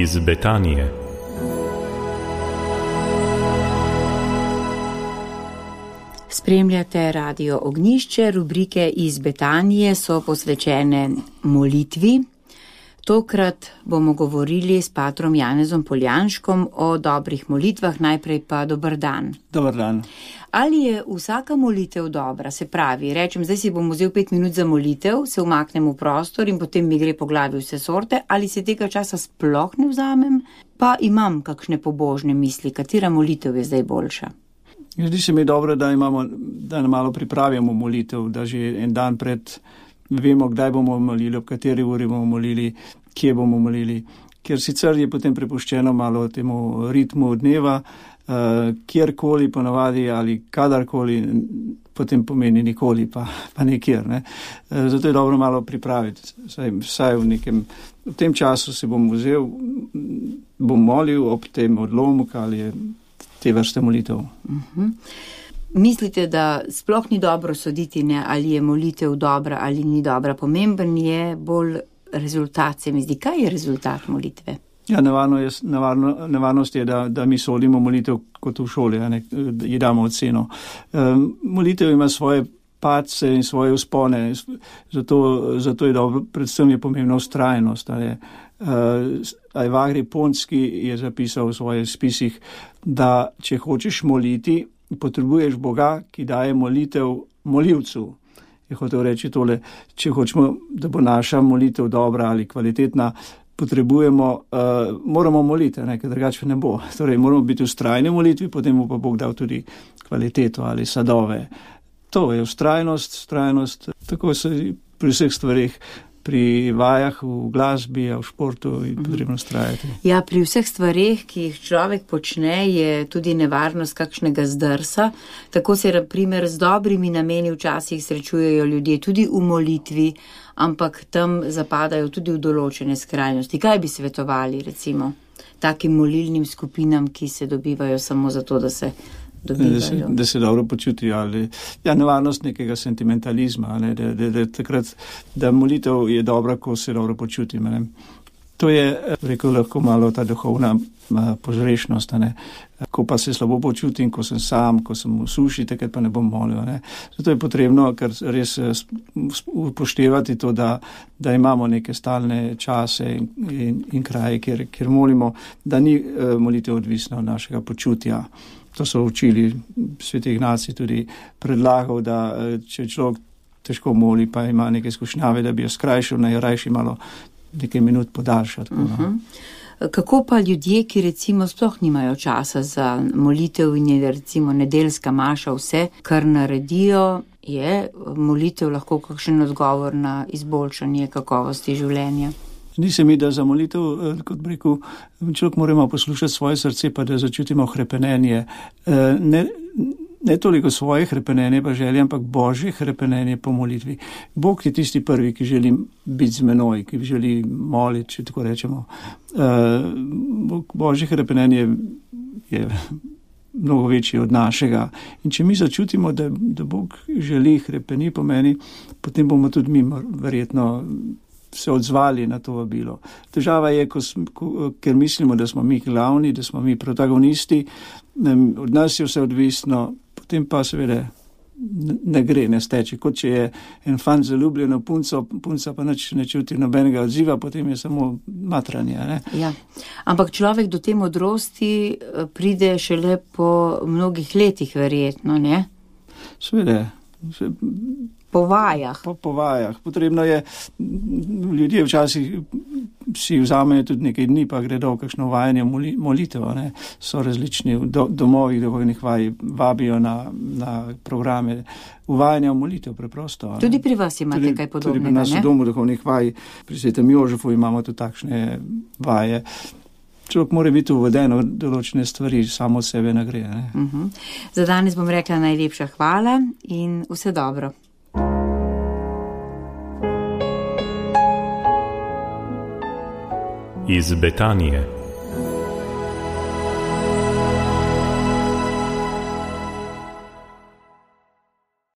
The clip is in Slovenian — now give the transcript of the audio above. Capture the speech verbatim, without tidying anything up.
iz Betanije. Spremljate Radio Ognjišče, rubrike iz Betanije so posvečene molitvi. Tokrat bomo govorili s patrom Janezom Poljanškom o dobrih molitvah, najprej pa dober dan. Dobar dan. Ali je vsaka molitev dobra? Se pravi, rečem, zdaj si bom vzel pet minut za molitev, se umaknem v prostor in potem mi gre po glavi vse sorte, ali se tega časa sploh ne vzamem, pa imam kakšne pobožne misli, katera molitev je zdaj boljša? Zdi se mi dobro, da imamo, da malo pripravimo molitev, da že en dan pred vemo, kdaj bomo molili, ob kateri uri bomo molili, kje bomo molili, ker sicer je potem prepuščeno malo temu ritmu dneva, uh, kjerkoli ponavadi ali kadarkoli, potem pomeni nikoli, pa, pa nekjer. Ne? Uh, zato je dobro malo pripraviti, vsaj, vsaj v nekem, v tem času se bom vzel, bom molil ob tem odlomku ali te vrste molitev. Uh-huh. Mislite, da sploh ni dobro soditi, ne, ali je molitev dobra ali ni dobra? Pomemben je bolj rezultat, se mi zdi. Kaj je rezultat molitve? Ja, nevarno je, nevarno, nevarnost je, da, da mi sodimo molitev kot v šoli, ne, da ji damo oceno. Um, molitev ima svoje padce in svoje vzpone, zato, zato je dobro, predvsem je pomembna vztrajnost. Uh, Ajvagri Ponski je zapisal v svojih spisih, da če hočeš moliti, potrebuješ Boga, ki daje molitev molivcu. Je hotel reči tole, če hočemo, da bo naša molitev dobra ali kvalitetna, potrebujemo, uh, moramo moliti, ne, ker drugače ne bo. Torej, moramo biti v vztrajni molitvi, potem bo pa Bog dal tudi kvaliteto ali sadove. To je vztrajnost, vztrajnost, tako se pri vseh stvarih, pri vajah, v glasbi, v športu je potrebno vztrajati. Ja, pri vseh stvareh, ki jih človek počne, je tudi nevarnost kakšnega zdrsa. Tako se, na primer, z dobrimi nameni včasih srečujejo ljudje tudi v molitvi, ampak tam zapadajo tudi v določene skrajnosti. Kaj bi svetovali, recimo, takim molilnim skupinam, ki se dobivajo samo zato, da se Da se, da se dobro počutijo, ali ja, nevarnost nekega sentimentalizma, ne, da, da, da, takrat, da molitev je dobra, ko se dobro počutim. Ne. To je, rekel, lahko malo ta duhovna požrešnost, ne. Ko pa se slabo počutim, ko sem sam, ko sem v suši, takrat pa ne bom molil. Ne. Zato je potrebno kar res upoštevati to, da, da imamo neke stalne čase in, in, in kraje, kjer, kjer molimo, da ni molitev odvisna od našega počutja. To so učili, Sveti Ignacij tudi predlagal, da če človek težko moli, pa ima neke skušnjave, da bi jo skrajšal, naj rajši malo nekaj minut podaljšati. Uh-huh. Kako pa ljudje, ki recimo sploh nimajo časa za molitev in je recimo nedeljska maša, vse, kar naredijo, je molitev lahko kakšen odgovor na izboljšanje kakovosti življenja? Zdi se mi, da za molitev, kot bi rekel, človek moramo poslušati svoje srce, pa da začutimo hrepenenje. Ne, ne toliko svoje hrepenenje pa želje, ampak Božje hrepenenje po molitvi. Bog je tisti prvi, ki želi biti z menoj, ki želi moliti, če tako rečemo. Božje hrepenenje je mnogo večji od našega. In če mi začutimo, da, da Bog želi hrepeni po meni, potem bomo tudi mi verjetno se odzvali na to vabilo. Težava je, ko, ko, ker mislimo, da smo mi glavni, da smo mi protagonisti, od nas je vse odvisno, potem pa seveda ne, ne gre, ne steče. Kot če je en fant zaljubljen v punco, punca pa nič ne čuti nobenega odziva, potem je samo matranje. Ne? Ja. Ampak človek do te modrosti pride šele po mnogih letih, verjetno, ne? Seveda. Po vajah. Po, po vajah. Potrebno je, ljudje včasih si vzamejo tudi nekaj dni, pa gredo v kakšno vajanje moli, molitev. Ne? So različni do, domovi, duhovnih vaj, vabijo na, na programe uvajanja v molitev preprosto. Ne? Tudi pri vas imate tudi, kaj podobnega, ne? Tudi pri nas v domu duhovnih vaj, pri Svetem Jožefu imamo tudi takšne vaje. Človek mora biti uveden v določene stvari, samo od sebe ne gre. Ne? Uh-huh. Za danes bom rekla najlepša hvala in vse dobro. Iz Betanije.